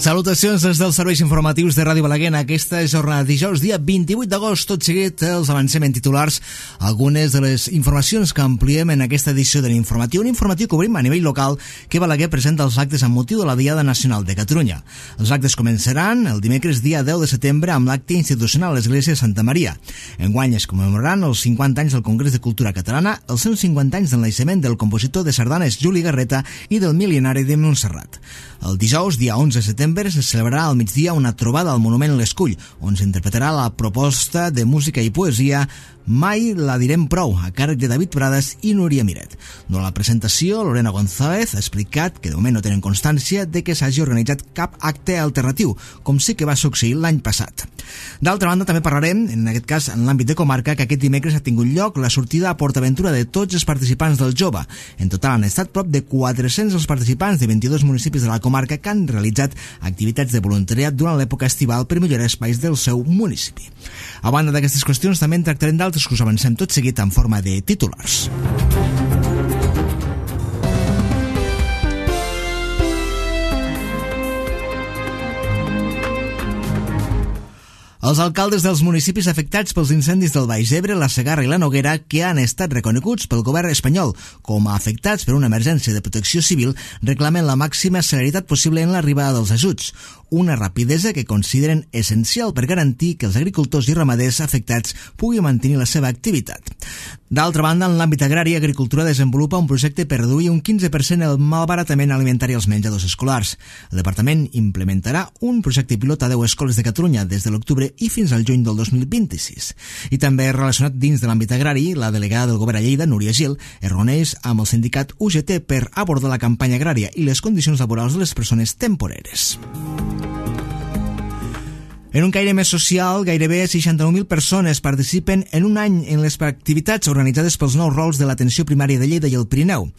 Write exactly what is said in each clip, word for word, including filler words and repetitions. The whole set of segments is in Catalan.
Salutacions des dels serveis informatius de Ràdio Balaguer en aquesta jornada dijous, dia vint-i-vuit d'agost. Tot seguit els avancem en titulars algunes de les informacions que ampliem en aquesta edició de l'informatiu. Un informatiu que obrim a nivell local que Balaguer presenta els actes amb motiu de la Diada Nacional de Catalunya. Els actes començaran el dimecres dia deu de setembre amb l'acte institucional a l'Església de Santa Maria. Enguany es commemoraran els cinquanta anys del Congrés de Cultura Catalana, els cent cinquanta anys del naixement del compositor de sardanes Juli Garreta i del mil·lenari de Montserrat. El dijous, dia onze de setembre, se celebrarà al migdia una trobada al Monument L'Escull, on s'interpretarà la proposta de música i poesia Mai la direm prou, a càrrec de David Prades i Núria Miret. Durant la presentació, Lorena González ha explicat que de moment no tenen constància de que s'hagi organitzat cap acte alternatiu, com sí que va succeir l'any passat. D'altra banda, també parlarem, en aquest cas en l'àmbit de comarca, que aquest dimecres ha tingut lloc la sortida a PortAventura de tots els participants del Jove. En total han estat prop de quatre-cents els participants de vint-i-dos municipis de la comarca que han realitzat activitats de voluntariat durant l'època estival per millorar espais del seu municipi. A banda d'aquestes qüestions, també en tractarem d'altres que us avancem tot seguit en forma de titulars. Els alcaldes dels municipis afectats pels incendis del Baix Ebre, la Segarra i la Noguera, que han estat reconeguts pel govern espanyol com a afectats per una emergència de protecció civil, reclamen la màxima celeritat possible en l'arribada dels ajuts, una rapidesa que consideren essencial per garantir que els agricultors i ramaders afectats puguin mantenir la seva activitat. D'altra banda, en l'àmbit agrari, Agricultura desenvolupa un projecte per reduir un quinze per cent el malbaratament alimentari als menjadors escolars. El departament implementarà un projecte pilot a deu escoles de Catalunya des de l'octubre i fins al juny del dos mil vint-i-sis. I també relacionat dins de l'àmbit agrari, la delegada del govern a Lleida, Núria Gil, es reuneix amb el sindicat U G T per abordar la campanya agrària i les condicions laborals de les persones temporeres. En un caire més social, gairebé seixanta-nou mil persones participen en un any en les activitats organitzades pels nous rols de l'atenció primària de Lleida i el Pirineu.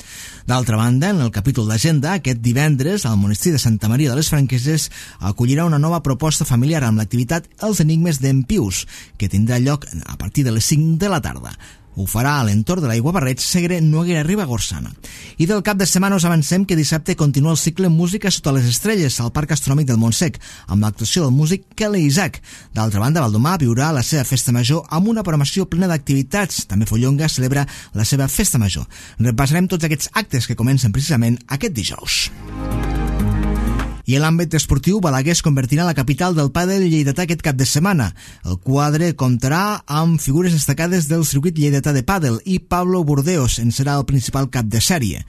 D'altra banda, en el capítol d'agenda, aquest divendres, al monestir de Santa Maria de les Franqueses acollirà una nova proposta familiar amb l'activitat Els Enigmes d'en Pius, que tindrà lloc a partir de les cinc de la tarda. Ho farà a l'entorn de l'Aigua Barreig, Segre, Noguera, Ribagorçana. I del cap de setmana us avancem que dissabte continua el cicle Música sota les estrelles al Parc Astronòmic del Montsec, amb l'actuació del músic Kelly Isaac. D'altra banda, Valdomar viurà la seva festa major amb una programació plena d'activitats. També Follonga celebra la seva festa major. Repassarem tots aquests actes que comencen precisament aquest dijous. I en l'àmbit esportiu, Balaguer es convertirà en la capital del pàdel lleidatà aquest cap de setmana. El quadre comptarà amb figures destacades del circuit lleidatà de pàdel i Pablo Burdeos en serà el principal cap de sèrie.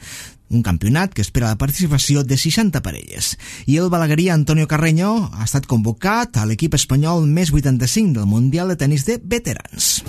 Un campionat que espera la participació de seixanta parelles. I el balaguerí Antonio Carreño ha estat convocat a l'equip espanyol més vuitanta-cinc del Mundial de Tenis de Veterans.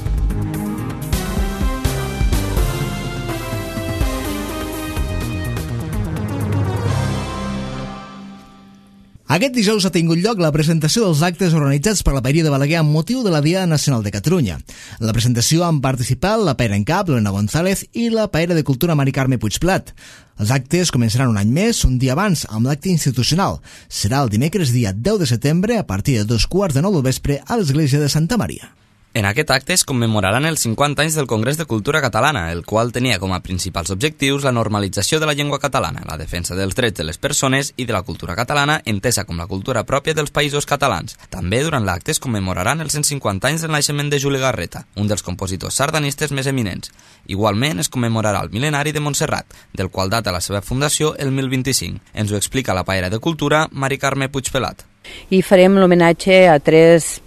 Aquest dijous ha tingut lloc la presentació dels actes organitzats per la Paeria de Balaguer amb motiu de la Diada Nacional de Catalunya. En la presentació han participat la Paera en Cap, Lorena González, i la Paera de Cultura Mari Carme Puigplat. Els actes començaran un any més, un dia abans, amb l'acte institucional. Serà el dimecres dia deu de setembre a partir de dos quarts de nou del vespre a l'Església de Santa Maria. En aquest acte es commemoraran els cinquanta anys del Congrés de Cultura Catalana, el qual tenia com a principals objectius la normalització de la llengua catalana, la defensa dels drets de les persones i de la cultura catalana, entesa com la cultura pròpia dels països catalans. També durant l'acte es commemoraran els cent cinquanta anys del naixement de Juli Garreta, un dels compositors sardanistes més eminents. Igualment es commemorarà el mil·lenari de Montserrat, del qual data la seva fundació el mil vint-i-cinc. Ens ho explica la paera de Cultura, Mari Carme Puigpelat. I farem l'homenatge a tres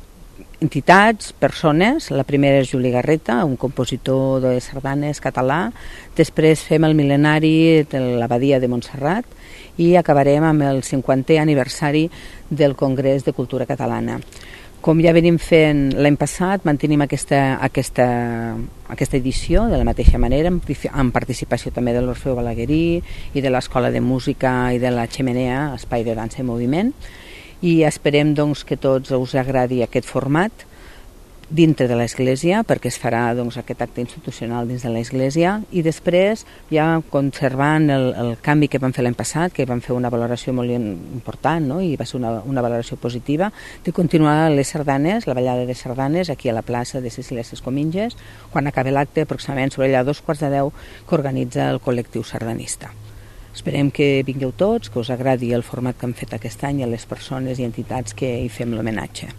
entitats, persones. La primera és Juli Garreta, un compositor de sardanes català. Després fem el mil·lenari de l'Abadia de Montserrat i acabarem amb el cinquantè aniversari del Congrés de Cultura Catalana. Com ja venim fent l'any passat, mantenim aquesta, aquesta, aquesta edició de la mateixa manera, amb participació també de l'Orfeo Balaguerí i de l'Escola de Música i de la Xemenea, Espai de Dansa i Moviment, i esperem doncs, que tots us agradi aquest format dintre de l'Església, perquè es farà doncs, aquest acte institucional dins de l'Església, i després ja conservant el, el canvi que vam fer l'any passat, que vam fer una valoració molt important, no? I va ser una, una valoració positiva, de continuar les sardanes, la ballada de sardanes aquí a la plaça de Cecília Sescominges, quan acabi l'acte aproximadament sobre allà dos quarts de deu que organitza el col·lectiu sardanista. Esperem que vingueu tots, que us agradi el format que hem fet aquest any i a les persones i entitats que hi fem l'homenatge.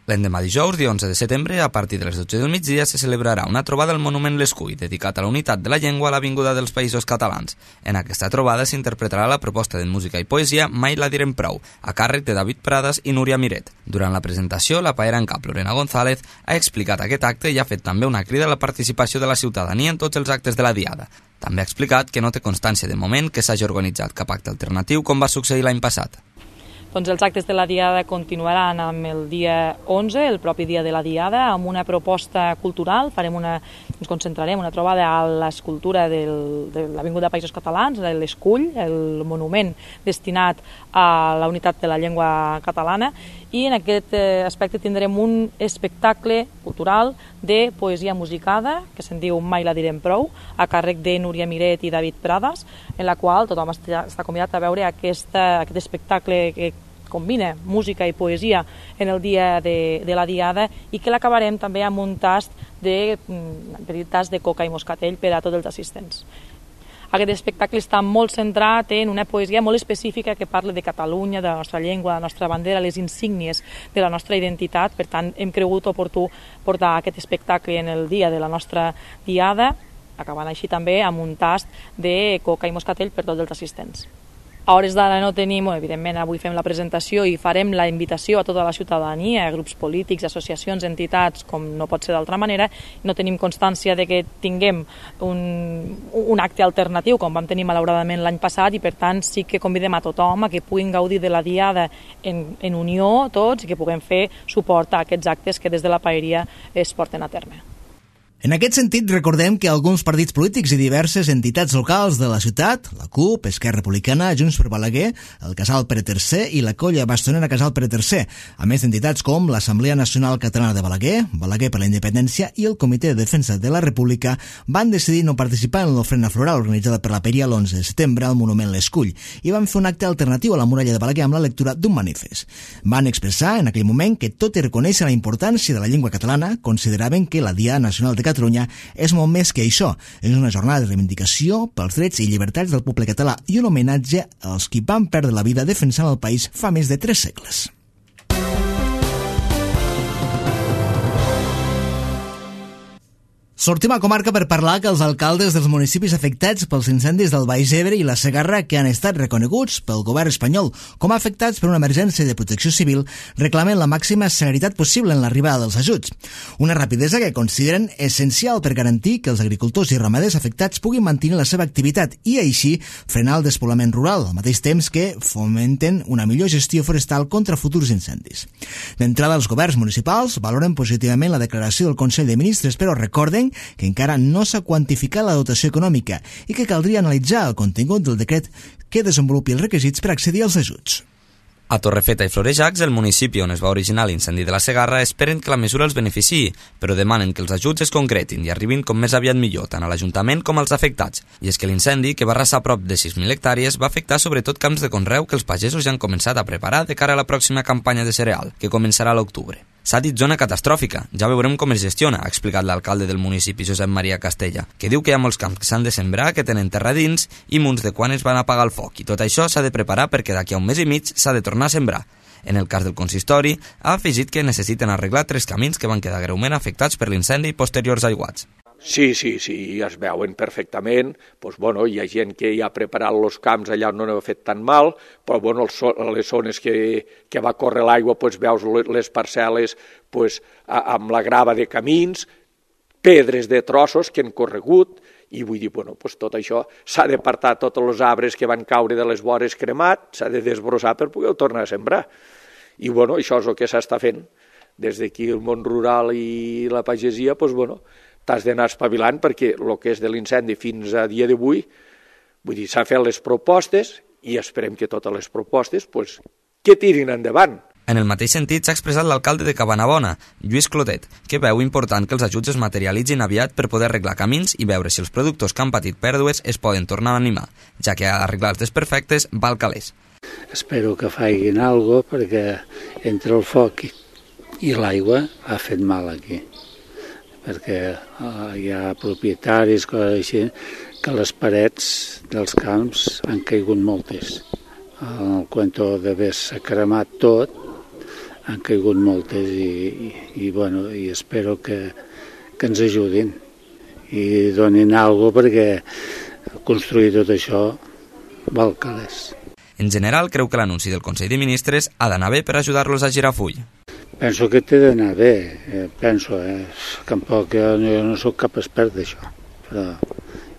L'endemà dijous, dia onze de setembre, a partir de les dotze del migdia, se celebrarà una trobada al Monument L'Escull, dedicat a la unitat de la llengua a l'Avinguda dels Països Catalans. En aquesta trobada s'interpretarà la proposta de música i poesia Mai la direm prou, a càrrec de David Prades i Núria Miret. Durant la presentació, la paera en cap Lorena González ha explicat aquest acte i ha fet també una crida a la participació de la ciutadania en tots els actes de la diada. També ha explicat que no té constància de moment que s'hagi organitzat cap acte alternatiu com va succeir l'any passat. Doncs els actes de la Diada continuaran amb el dia onze, el propi dia de la Diada, amb una proposta cultural. Farem una, ens concentrarem una trobada a l'escultura del, de l'Avinguda Països Catalans, l'Escull, el monument destinat a la unitat de la llengua catalana, i en aquest aspecte tindrem un espectacle cultural de poesia musicada, que se'n diu Mai la direm prou, a càrrec de Núria Miret i David Prades, en la qual tothom està, està convidat a veure aquesta, aquest espectacle que combina música i poesia en el dia de, de la Diada, i que l'acabarem també amb un tast de, un petit tast de coca i moscatell per a tots els assistents. Aquest espectacle està molt centrat en una poesia molt específica que parla de Catalunya, de la nostra llengua, de la nostra bandera, les insígnies de la nostra identitat. Per tant, hem cregut oportú portar aquest espectacle en el dia de la nostra Diada, acabant així també amb un tast de coca i moscatell per tots els assistents. A hores d'ara no tenim, evidentment avui fem la presentació i farem la invitació a tota la ciutadania, a grups polítics, associacions, entitats, com no pot ser d'altra manera. No tenim constància de que tinguem un, un acte alternatiu, com vam tenir malauradament l'any passat, i per tant sí que convidem a tothom a que puguin gaudir de la Diada en, en unió tots, i que puguem fer suport a aquests actes que des de la paeria es porten a terme. En aquest sentit, recordem que alguns partits polítics i diverses entitats locals de la ciutat, la CUP, Esquerra Republicana, Junts per Balaguer, el Casal Pere tercer i la Colla Bastonera Casal Pere tercer, a més d'entitats com l'Assemblea Nacional Catalana de Balaguer, Balaguer per la Independència i el Comitè de Defensa de la República, van decidir no participar en l'ofrena floral organitzada per la Paeria l'onze de setembre al Monument L'Escull i van fer un acte alternatiu a la muralla de Balaguer amb la lectura d'un manifest. Van expressar en aquell moment que tot i reconèixer la importància de la llengua catalana, consideraven que la Diada Nacional de Catalunya és molt més que això. És una jornada de reivindicació pels drets i llibertats del poble català i un homenatge als qui van perdre la vida defensant el país fa més de tres segles. Sortim a comarca per parlar que els alcaldes dels municipis afectats pels incendis del Baix Ebre i la Segarra, que han estat reconeguts pel govern espanyol com a afectats per una emergència de protecció civil, reclamen la màxima celeritat possible en l'arribada dels ajuts. Una rapidesa que consideren essencial per garantir que els agricultors i ramaders afectats puguin mantenir la seva activitat i així frenar el despoblament rural, al mateix temps que fomenten una millor gestió forestal contra futurs incendis. D'entrada, els governs municipals valoren positivament la declaració del Consell de Ministres, però recorden que encara no s'ha quantificat la dotació econòmica i que caldria analitzar el contingut del decret que desenvolupi els requisits per accedir als ajuts. A Torrefeta i Florejacs, el municipi on es va originar l'incendi de la Segarra, esperen que la mesura els beneficiï, però demanen que els ajuts es concretin i arribin com més aviat millor, tant a l'Ajuntament com als afectats. I és que l'incendi, que va arrasar prop de sis mil hectàrees, va afectar sobretot camps de conreu que els pagesos ja han començat a preparar de cara a la pròxima campanya de cereal, que començarà a l'octubre. S'ha dit zona catastròfica, ja veurem com es gestiona, ha explicat l'alcalde del municipi, Josep Maria Castella, que diu que hi ha molts camps que s'han de sembrar, que tenen terra dins i munts de quan es van apagar el foc, i tot això s'ha de preparar perquè d'aquí a un mes i mig s'ha de tornar a sembrar. En el cas del consistori, ha afegit que necessiten arreglar tres camins que van quedar greument afectats per l'incendi i posteriors aiguats. Sí, sí, sí, es veuen perfectament. Pues, bueno, hi ha gent que ja ha preparat els camps allà on no ha fet tan mal, però bueno, les zones que, que va córrer l'aigua, pues, veus les parcel·les pues, amb la grava de camins, pedres de trossos que han corregut, i vull dir, bueno, pues, tot això s'ha d'apartar tots els arbres que van caure de les vores cremat, s'ha de desbrossar per poder tornar a sembrar. I bueno, això és el que s'està fent. Des d'aquí el món rural i la pagesia, pues, bueno, t'has d'anar espavilant perquè el que és de l'incendi fins a dia d'avui, vull dir, s'han fet les propostes i esperem que totes les propostes pues, que tirin endavant. En el mateix sentit s'ha expressat l'alcalde de Cabanabona, Lluís Clotet, que veu important que els ajuts es materialitzin aviat per poder arreglar camins i veure si els productors que han patit pèrdues es poden tornar a animar, ja que arreglar els desperfectes val calés. Espero que facin alguna cosa perquè entre el foc i l'aigua ha fet mal aquí, perquè uh, hi ha propietaris, coses així, que les parets dels camps han caigut moltes. El cuento d'haver-se cremat tot, han caigut moltes i, i, i, bueno, i espero que, que ens ajudin i donin alguna cosa perquè construir tot això val calés. En general, creu que l'anunci del Consell de Ministres ha d'anar bé per ajudar-los a girar full. Penso que té d'anar bé, eh, penso, eh? Tampoc jo, jo no sóc cap expert d'això, però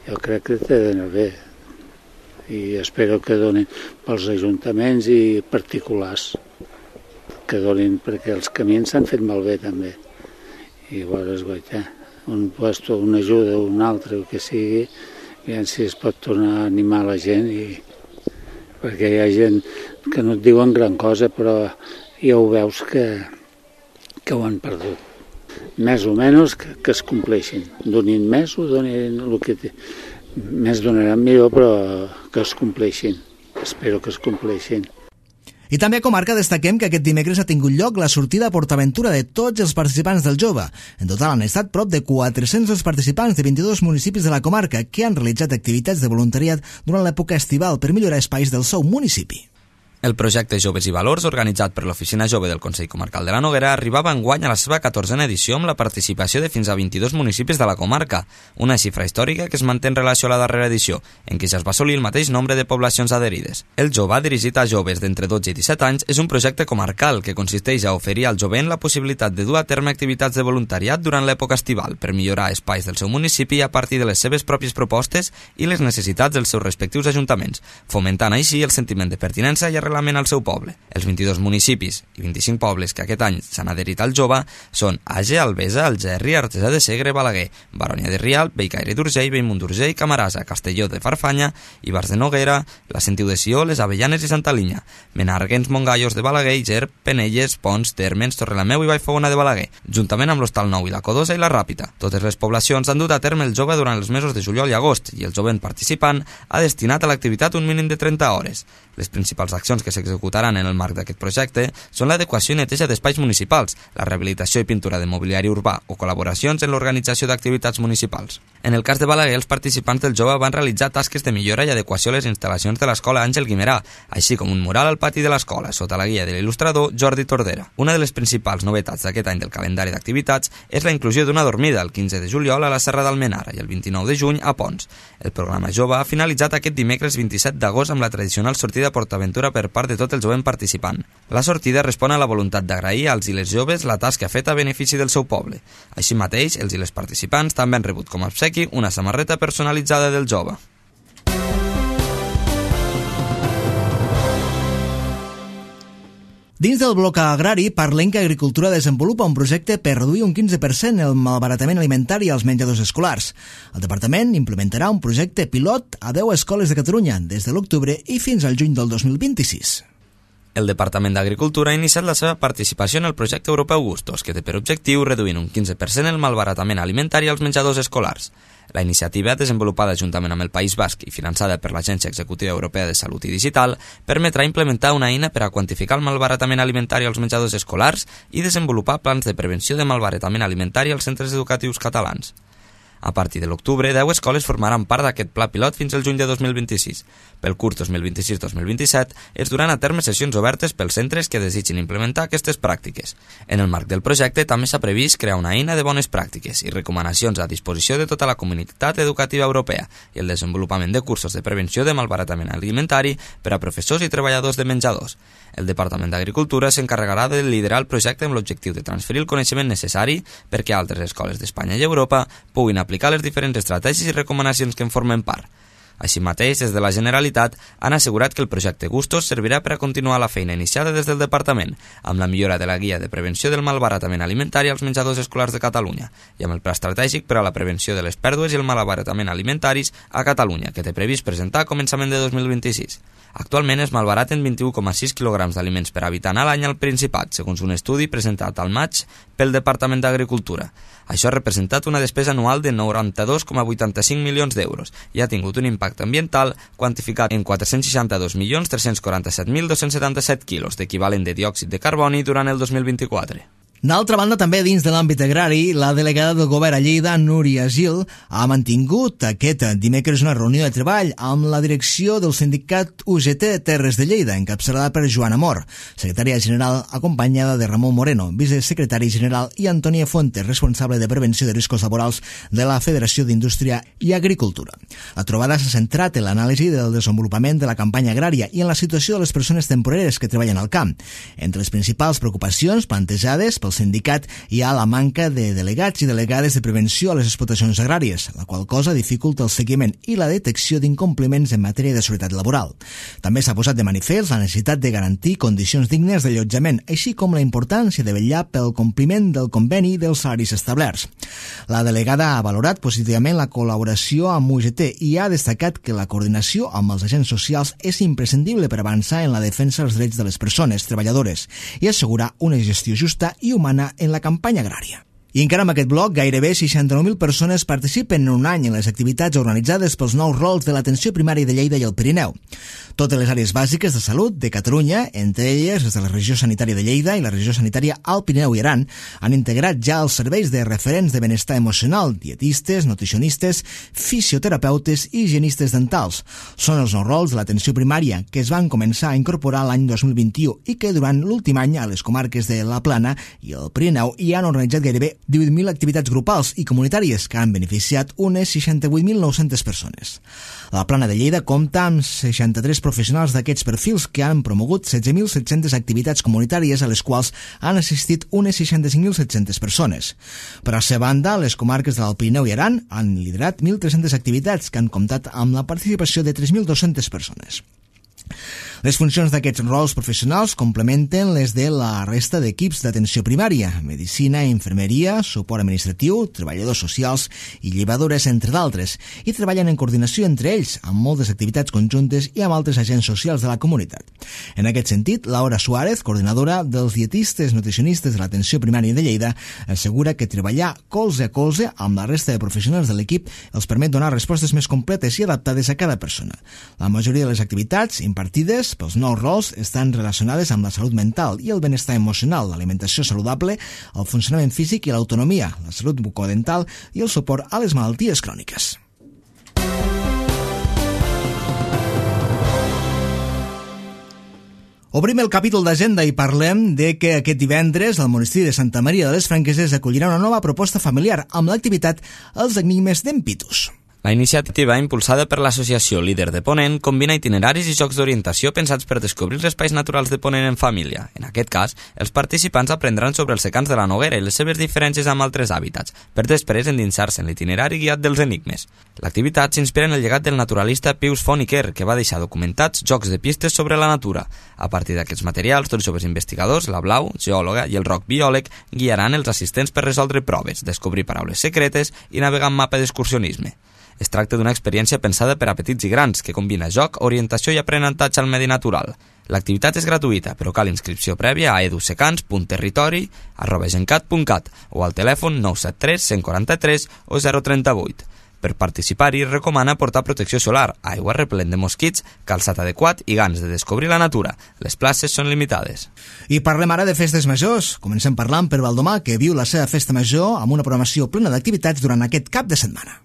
jo crec que té d'anar bé i espero que donin pels ajuntaments i particulars, que donin, perquè els camins s'han fet malbé també. I llavors, guaita, un puesto, una ajuda, un altre, el que sigui, aviam si es pot tornar a animar la gent, i perquè hi ha gent que no et diuen gran cosa, però ja ho veus que, que ho han perdut. Més o menys que, que es compleixin. Donin més o donin el que té. Més donaran millor, però que es compleixin. Espero que es compleixin. I també a Comarca destaquem que aquest dimecres ha tingut lloc la sortida a PortAventura de tots els participants del Jove. En total han estat prop de quatre-cents els participants de vint-i-dos municipis de la comarca que han realitzat activitats de voluntariat durant l'època estival per millorar espais del seu municipi. El projecte Joves i Valors, organitzat per l'Oficina Jove del Consell Comarcal de la Noguera, arribava enguany a la seva catorzena edició amb la participació de fins a vint-i-dos municipis de la comarca, una xifra històrica que es manté en relació a la darrera edició, en què ja es va assolir el mateix nombre de poblacions adherides. El Jove, dirigit a joves d'entre dotze i disset anys, és un projecte comarcal que consisteix a oferir al jovent la possibilitat de dur a terme activitats de voluntariat durant l'època estival per millorar espais del seu municipi a partir de les seves pròpies propostes i les necessitats dels seus respectius ajuntaments, fomentant així el sentiment de pertinença i arrelament al seu poble. Els vint-i-dos municipis i vint-i-cinc pobles que aquest any s'han adherit al Jove són Age, Albesa, Algerri, Artesà de Segre, Balaguer, Baronia de Rialb, Bellcaire d'Urgell, Bellmunt d'Urgell, Camarasa, Castelló de Farfanya, Ibars de Noguera, la Sentiu de Sió, les Avellanes i Santa Linya, Menàrguens, Montgallos de Balaguer, Ger, Penelles, Pons, Térmens, Torrelameu i Vallfogona de Balaguer, juntament amb l'Hostal Nou i la Codosa i la Ràpita. Totes les poblacions han dut a terme el Jove durant els mesos de juliol i agost i el jovent participant ha destinat a l'activitat un mínim de trenta hores. Les principals accions que s'executaran en el marc d'aquest projecte són l'adequació i neteja d'espais municipals, la rehabilitació i pintura de mobiliari urbà o col·laboracions en l'organització d'activitats municipals. En el cas de Balaguer, els participants del Jove van realitzar tasques de millora i adequació a les instal·lacions de l'escola Àngel Guimerà, així com un mural al pati de l'escola, sota la guia de l'il·lustrador Jordi Tordera. Una de les principals novetats d'aquest any del calendari d'activitats és la inclusió d'una dormida el quinze de juliol a la Serra d'Almenara i el vint-i-nou de juny a Pons. El programa Jove ha finalitzat aquest dimecres vint-i-set d'agost amb la tradicional sortida a PortAventura per part de tot el jovent participant. La sortida respon a la voluntat d'agrair als i les joves la tasca feta a benefici del seu poble. Així mateix, els i les participants també han rebut com a obsequi una samarreta personalitzada del Jove. Dins del bloc agrari, parlem que Agricultura desenvolupa un projecte per reduir un quinze per cent el malbaratament alimentari als menjadors escolars. El departament implementarà un projecte pilot a deu escoles de Catalunya des de l'octubre i fins al juny del dos mil vint-i-sis. El Departament d'Agricultura ha iniciat la seva participació en el projecte europeu Gustos, que té per objectiu reduir un quinze per cent el malbaratament alimentari als menjadors escolars. La iniciativa, desenvolupada juntament amb el País Basc i finançada per l'Agència Executiva Europea de Salut i Digital, permetrà implementar una eina per a quantificar el malbaratament alimentari als menjadors escolars i desenvolupar plans de prevenció de malbaratament alimentari als centres educatius catalans. A partir de l'octubre, deu escoles formaran part d'aquest pla pilot fins al juny de dos mil vint-i-sis. Pel curs dos mil vint-i-sis dos mil vint-i-set es duran a terme sessions obertes pels centres que desitgin implementar aquestes pràctiques. En el marc del projecte també s'ha previst crear una eina de bones pràctiques i recomanacions a disposició de tota la comunitat educativa europea i el desenvolupament de cursos de prevenció de malbaratament alimentari per a professors i treballadors de menjadors. El Departament d'Agricultura s'encarregarà de liderar el projecte amb l'objectiu de transferir el coneixement necessari perquè altres escoles d'Espanya i Europa puguin aplicar les diferents estratègies i recomanacions que en formen part. Així mateix, des de la Generalitat, han assegurat que el projecte Gustos servirà per a continuar la feina iniciada des del Departament, amb la millora de la guia de prevenció del malbaratament alimentari als menjadors escolars de Catalunya i amb el pla estratègic per a la prevenció de les pèrdues i el malbaratament alimentaris a Catalunya, que té previst presentar a començament de dos mil vint-i-sis. Actualment es malbaraten vint-i-u coma sis quilograms d'aliments per habitant a l'any al Principat, segons un estudi presentat al maig pel Departament d'Agricultura. Això ha representat una despesa anual de noranta-dos coma vuitanta-cinc milions d'euros i ha tingut un impacte ambiental quantificat en quatre-cents seixanta-dos milions tres-cents quaranta-set mil dos-cents setanta-set quilos d'equivalent de diòxid de carboni durant el dos mil vint-i-quatre. D'altra banda, també dins de l'àmbit agrari, la delegada del govern a Lleida, Núria Gil, ha mantingut aquest dimecres una reunió de treball amb la direcció del sindicat U G T Terres de Lleida, encapçalada per Joana Mor, secretària general, acompanyada de Ramon Moreno, vicesecretari general, i Antònia Fuentes, responsable de prevenció de riscos laborals de la Federació d'Indústria i Agricultura. La trobada s'ha centrat en l'anàlisi del desenvolupament de la campanya agrària i en la situació de les persones temporeres que treballen al camp. Entre les principals preocupacions plantejades pel sindicat hi ha la manca de delegats i delegades de prevenció a les explotacions agràries, la qual cosa dificulta el seguiment i la detecció d'incompliments en matèria de seguretat laboral. També s'ha posat de manifest la necessitat de garantir condicions dignes d'allotjament, així com la importància de vetllar pel compliment del conveni dels salaris establerts. La delegada ha valorat positivament la col·laboració amb U G T i ha destacat que la coordinació amb els agents socials és imprescindible per avançar en la defensa dels drets de les persones treballadores i assegurar una gestió justa i humana en la campanya agrària. I encara amb aquest bloc, gairebé seixanta-nou mil persones participen en un any en les activitats organitzades pels nous rols de l'atenció primària de Lleida i el Pirineu. Totes les àrees bàsiques de salut de Catalunya, entre elles les de la regió sanitària de Lleida i la regió sanitària Alt Pirineu i Aran, han integrat ja els serveis de referents de benestar emocional, dietistes, nutricionistes, fisioterapeutes i higienistes dentals. Són els nous rols de l'atenció primària que es van començar a incorporar l'any dos mil vint-i-u i que durant l'últim any a les comarques de la Plana i el Pirineu hi han organitzat gairebé divuit mil activitats grupals i comunitàries que han beneficiat unes seixanta-vuit mil nou-centes persones. La Plana de Lleida compta amb seixanta-tres professionals d'aquests perfils que han promogut setze mil set-centes activitats comunitàries a les quals han assistit unes seixanta-cinc mil set-centes persones. Per a la seva banda, les comarques de l'Alt Pirineu i Aran han liderat mil tres-centes activitats que han comptat amb la participació de tres mil dues-centes persones. Les funcions d'aquests rols professionals complementen les de la resta d'equips d'atenció primària, medicina, infermeria, suport administratiu, treballadors socials i llevadores, entre d'altres, i treballen en coordinació entre ells, amb moltes activitats conjuntes i amb altres agents socials de la comunitat. En aquest sentit, Laura Suárez, coordinadora dels dietistes nutricionistes de l'atenció primària de Lleida, assegura que treballar colze a colze amb la resta de professionals de l'equip els permet donar respostes més completes i adaptades a cada persona. La majoria de les activitats impartides pels nous rols estan relacionades amb la salut mental i el benestar emocional, l'alimentació saludable, el funcionament físic i l'autonomia, la salut bucodental i el suport a les malalties cròniques. Obrim el capítol d'agenda i parlem de que aquest divendres el monestir de Santa Maria de les Franqueses acollirà una nova proposta familiar amb l'activitat Els Enigmes d'en Pitus. La iniciativa, impulsada per l'associació Líder de Ponent, combina itineraris i jocs d'orientació pensats per descobrir els espais naturals de Ponent en família. En aquest cas, els participants aprendran sobre els secans de la Noguera i les seves diferències amb altres hàbitats, per després endinsar-se en l'itinerari guiat dels enigmes. L'activitat s'inspira en el llegat del naturalista Pius Font i Quer, que va deixar documentats jocs de pistes sobre la natura. A partir d'aquests materials, dos joves investigadors, la Blau, geòloga, i el Roc, biòleg, guiaran els assistents per resoldre proves, descobrir paraules secretes i navegar en mapa d'excursionisme. Es tracta d'una experiència pensada per a petits i grans, que combina joc, orientació i aprenentatge al medi natural. L'activitat és gratuïta, però cal inscripció prèvia a edusecans punt territori arroba gencat punt cat o al telèfon nou set tres, cent quaranta-tres o zero trenta-vuit. Per participar-hi es recomana portar protecció solar, aigua repel·lent de mosquits, calçat adequat i ganes de descobrir la natura. Les places són limitades. I parlem ara de festes majors. Comencem parlant per Valdomar, que viu la seva festa major amb una programació plena d'activitats durant aquest cap de setmana.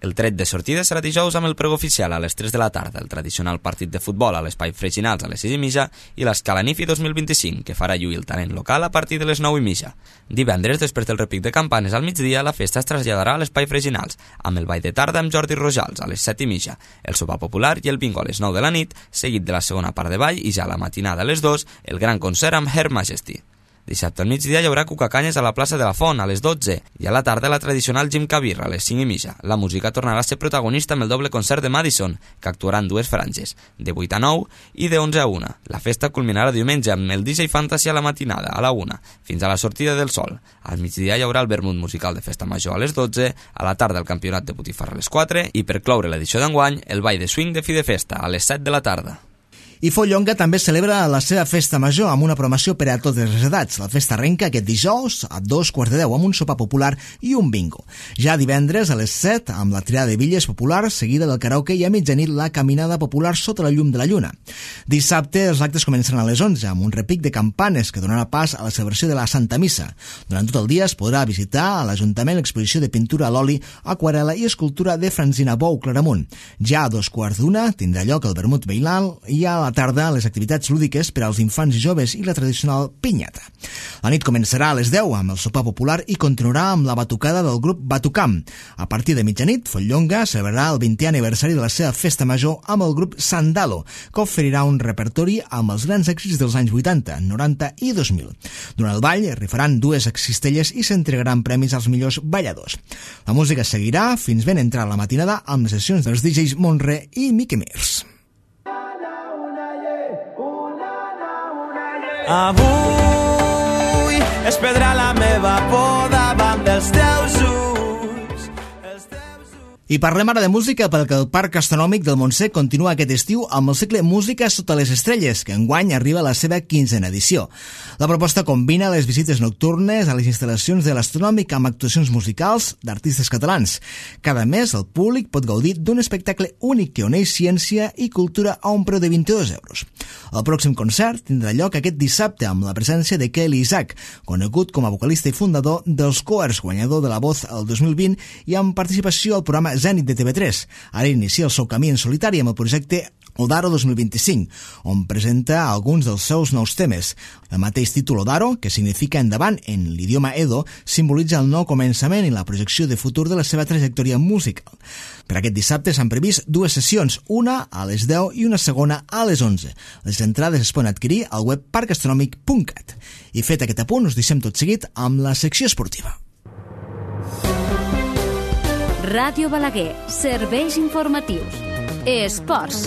El tret de sortida serà dijous amb el pregó oficial a les tres de la tarda, el tradicional partit de futbol a l'Espai Freginals a les sis i mitja i l'Escala Nifi dos mil vint-i-cinc, que farà lluir el talent local a partir de les nou i mitja. Divendres, després del repic de campanes al migdia, la festa es traslladarà a l'Espai Freginals, amb el ball de tarda amb Jordi Rojals a les set i mitja, el sopar popular i el bingo a les nou de la nit, seguit de la segona part de ball i ja a la matinada a les dues, el gran concert amb Her Majesty. Dissabte al migdia hi haurà cucacanyes a la plaça de la Font a les dotze i a la tarda la tradicional Jim Cabirra a les cinc i mitja. La música tornarà a ser protagonista amb el doble concert de Madison, que actuarà en dues franges, de vuit a nou i de onze a una. La festa culminarà diumenge amb el D J Fantasy a la matinada, a la una, fins a la sortida del sol. Al migdia hi haurà el vermut musical de festa major a les dotze, a la tarda el campionat de Botifarra a les quatre i per cloure l'edició d'enguany, el ball de swing de fi de festa a les set de la tarda. I Follonga també celebra la seva festa major amb una programació per a totes les edats. La festa arrenca aquest dijous a dos quarts de deu amb un sopar popular i un bingo. Ja divendres a les set amb la tirada de bitlles popular, seguida del karaoke i a mitjanit la caminada popular sota la llum de la lluna. Dissabte els actes començaran a les onze amb un repic de campanes que donarà pas a la celebració de la Santa Missa. Durant tot el dia es podrà visitar a l'Ajuntament l'exposició de pintura a l'oli, aquarela i escultura de Francina Bou Claramunt. Ja a dos quarts d'una tindrà lloc el vermut veïnal i a la tarda les activitats lúdiques per als infants i joves i la tradicional pinyata. La nit començarà a les deu amb el sopar popular i continuarà amb la batucada del grup Batucam. A partir de mitjanit, Follonga celebrarà el vintè aniversari de la seva festa major amb el grup Sandalo, que oferirà un repertori amb els grans èxits dels anys vuitanta, noranta i dos mil. Durant el ball rifaran dues cistelles i s'entregaran premis als millors balladors. La música seguirà fins ben entrar la matinada amb les sessions dels D Js Monre i Mickey Mears. Avui es perdrà la meva por davant dels teus ulls. I parlem ara de música perquè el Parc Astronòmic del Montsec continua aquest estiu amb el cicle Música sota les estrelles, que enguany arriba a la seva quinzena edició. La proposta combina les visites nocturnes a les instal·lacions de l'Astronòmic amb actuacions musicals d'artistes catalans. Cada mes el públic pot gaudir d'un espectacle únic que uneix ciència i cultura a un preu de vint-i-dos euros. El pròxim concert tindrà lloc aquest dissabte amb la presència de Kelly Isaac, conegut com a vocalista i fundador dels Coers, guanyador de la Voz el dos mil vint i amb participació al programa Zenit de T V tres. Ara inicia el seu camí en solitari amb el projecte Odaro dos mil vint-i-cinc, on presenta alguns dels seus nous temes. El mateix títol Odaro, que significa endavant en l'idioma Edo, simbolitza el nou començament i la projecció de futur de la seva trajectòria musical. Per aquest dissabte s'han previst dues sessions, una a les deu i una segona a les onze. Les entrades es poden adquirir al web parc astronòmic punt cat. I fet aquest apunt, us deixem tot seguit amb la secció esportiva. Ràdio Balaguer, serveis informatius. Esports.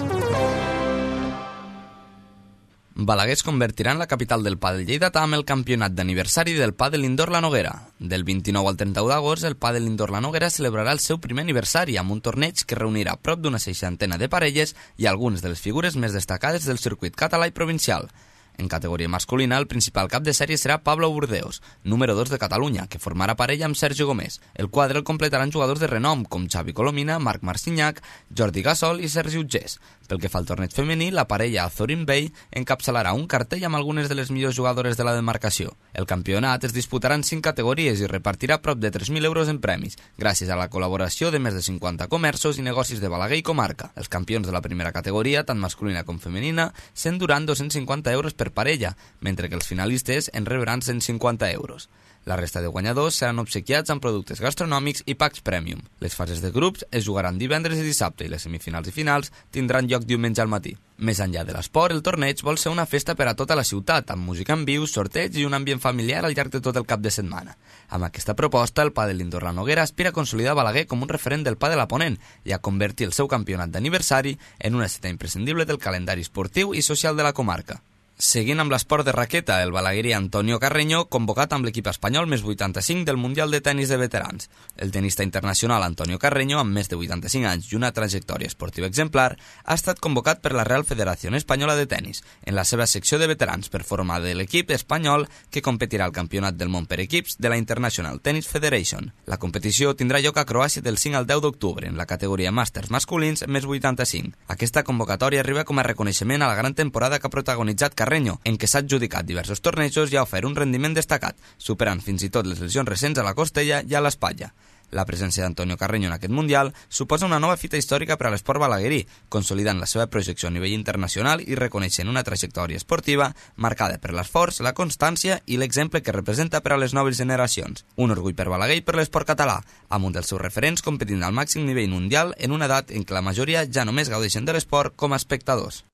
Balaguer es convertirà en la capital del pàdel lleidatà amb el campionat d'aniversari del pàdel indoor La Noguera. Del vint-i-nou al trenta-u d'agost, el pàdel indoor La Noguera celebrarà el seu primer aniversari amb un torneig que reunirà prop d'una seixantena de parelles i algunes de les figures més destacades del circuit català i provincial. En categoria masculina, el principal cap de sèrie serà Pablo Burdeos, número dos de Catalunya, que formarà parella amb Sergio Gómez. El quadre el completaran jugadors de renom com Xavi Colomina, Marc Marcinyac, Jordi Gasol i Sergi Utgés. Pel que fa al torneig femení, la parella Azorín Bey encapçalarà un cartell amb algunes de les millors jugadores de la demarcació. El campionat es disputarà en cinc categories i repartirà prop de tres mil euros en premis, gràcies a la col·laboració de més de cinquanta comerços i negocis de Balaguer i comarca. Els campions de la primera categoria, tant masculina com femenina, s'enduran dos-cents cinquanta euros per parella, mentre que els finalistes en rebran cent cinquanta euros. La resta de guanyadors seran obsequiats amb productes gastronòmics i packs premium. Les fases de grups es jugaran divendres i dissabte i les semifinals i finals tindran lloc diumenge al matí. Més enllà de l'esport, el torneig vol ser una festa per a tota la ciutat, amb música en viu, sorteig i un ambient familiar al llarg de tot el cap de setmana. Amb aquesta proposta, el pàdel indoor La Noguera aspira a consolidar Balaguer com un referent del pàdel a Ponent i a convertir el seu campionat d'aniversari en una cita imprescindible del calendari esportiu i social de la comarca. Seguint amb l'esport de raqueta, el balaguerí Antonio Carreño, convocat amb l'equip espanyol més vuitanta-cinc del Mundial de Tenis de Veterans. El tenista internacional Antonio Carreño, amb més de vuitanta-cinc anys i una trajectòria esportiva exemplar, ha estat convocat per la Real Federación Espanyola de Tenis, en la seva secció de veterans, per formar de l'equip espanyol que competirà al Campionat del Món per equips de la International Tennis Federation. La competició tindrà lloc a Croàcia del cinc al deu d'octubre, en la categoria màsters masculins més vuitanta-cinc. Aquesta convocatòria arriba com a reconeixement a la gran temporada que ha protagonitzat Carreño, en què s'ha adjudicat diversos tornejos i ha ofert un rendiment destacat, superant fins i tot les lesions recents a la costella i a l'espatlla. La presència d'Antonio Carreño en aquest Mundial suposa una nova fita històrica per a l'esport balaguerí, consolidant la seva projecció a nivell internacional i reconeixent una trajectòria esportiva marcada per l'esforç, la constància i l'exemple que representa per a les noves generacions. Un orgull per Balaguer i per l'esport català, amb un dels seus referents competint al màxim nivell mundial en una edat en què la majoria ja només gaudeixen de l'esport com a espectadors.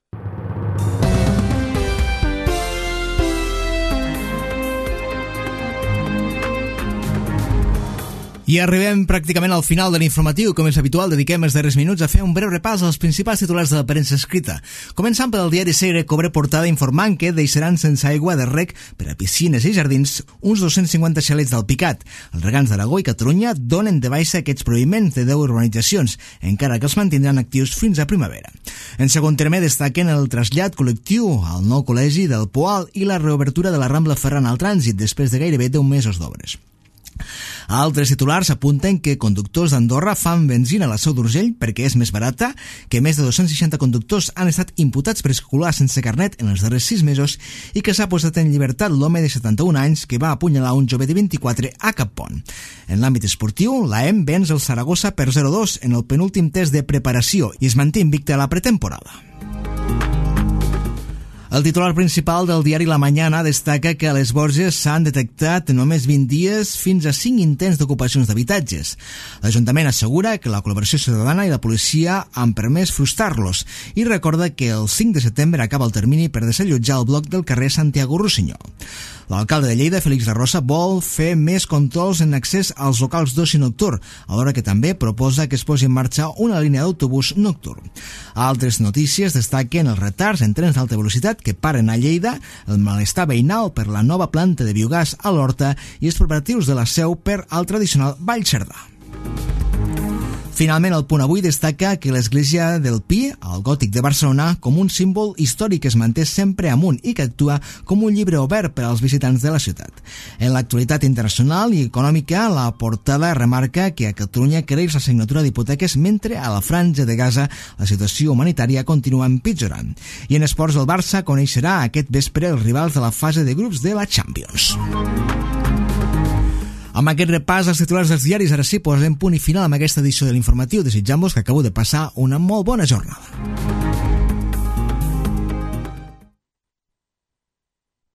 I arribem pràcticament al final de l'informatiu. Com és habitual, dediquem els darrers minuts a fer un breu repàs als principals titulars de la premsa escrita. Començant pel diari Segre, cobre portada informant que deixaran sense aigua de rec per a piscines i jardins uns dos-cents cinquanta xalets d'Alpicat. Els regants d'Aragó i Catalunya donen de baixa aquests prohibiments de deu urbanitzacions, encara que els mantindran actius fins a primavera. En segon terme, destaquen el trasllat col·lectiu al nou col·legi del Poal i la reobertura de la Rambla Ferran al trànsit després de gairebé deu mesos d'obres. Altres titulars apunten que conductors d'Andorra fan benzina a la Seu d'Urgell perquè és més barata, que més de dos-cents seixanta conductors han estat imputats per circular sense carnet en els darrers sis mesos i que s'ha posat en llibertat l'home de setanta-un anys que va apunyalar un jove de vint-i-quatre a Cappont. En l'àmbit esportiu, l'A E M venç el Saragossa per zero a dos en el penúltim test de preparació i es manté invicta a la pretemporada. El titular principal del diari La Mañana destaca que a les Borges s'han detectat en només vint dies fins a cinc intents d'ocupacions d'habitatges. L'Ajuntament assegura que la col·laboració ciutadana i la policia han permès frustrar-los i recorda que el cinc de setembre acaba el termini per desallotjar el bloc del carrer Santiago Rossinyol. L'alcalde de Lleida, Félix de Rosa, vol fer més controls en accés als locals d'oci nocturn, alhora que també proposa que es posi en marxa una línia d'autobús nocturn. Altres notícies destaquen els retards en trens d'alta velocitat que paren a Lleida, el malestar veïnal per la nova planta de biogàs a l'Horta i els preparatius de la Seu per al tradicional Ball Cerdà. Finalment, el Punt Avui destaca que l'església del Pi, al Gòtic de Barcelona, com un símbol històric que es manté sempre amunt i que actua com un llibre obert per als visitants de la ciutat. En l'actualitat internacional i econòmica, la portada remarca que a Catalunya creix la signatura d'hipoteques mentre a la Franja de Gaza la situació humanitària continua empitjorant. I en esports, el Barça coneixerà aquest vespre els rivals de la fase de grups de la Champions. Amb aquest repàs als titulars dels diaris, ara sí, posem punt i final amb aquesta edició de l'informatiu. Desitjant-vos que acabeu de passar una molt bona jornada.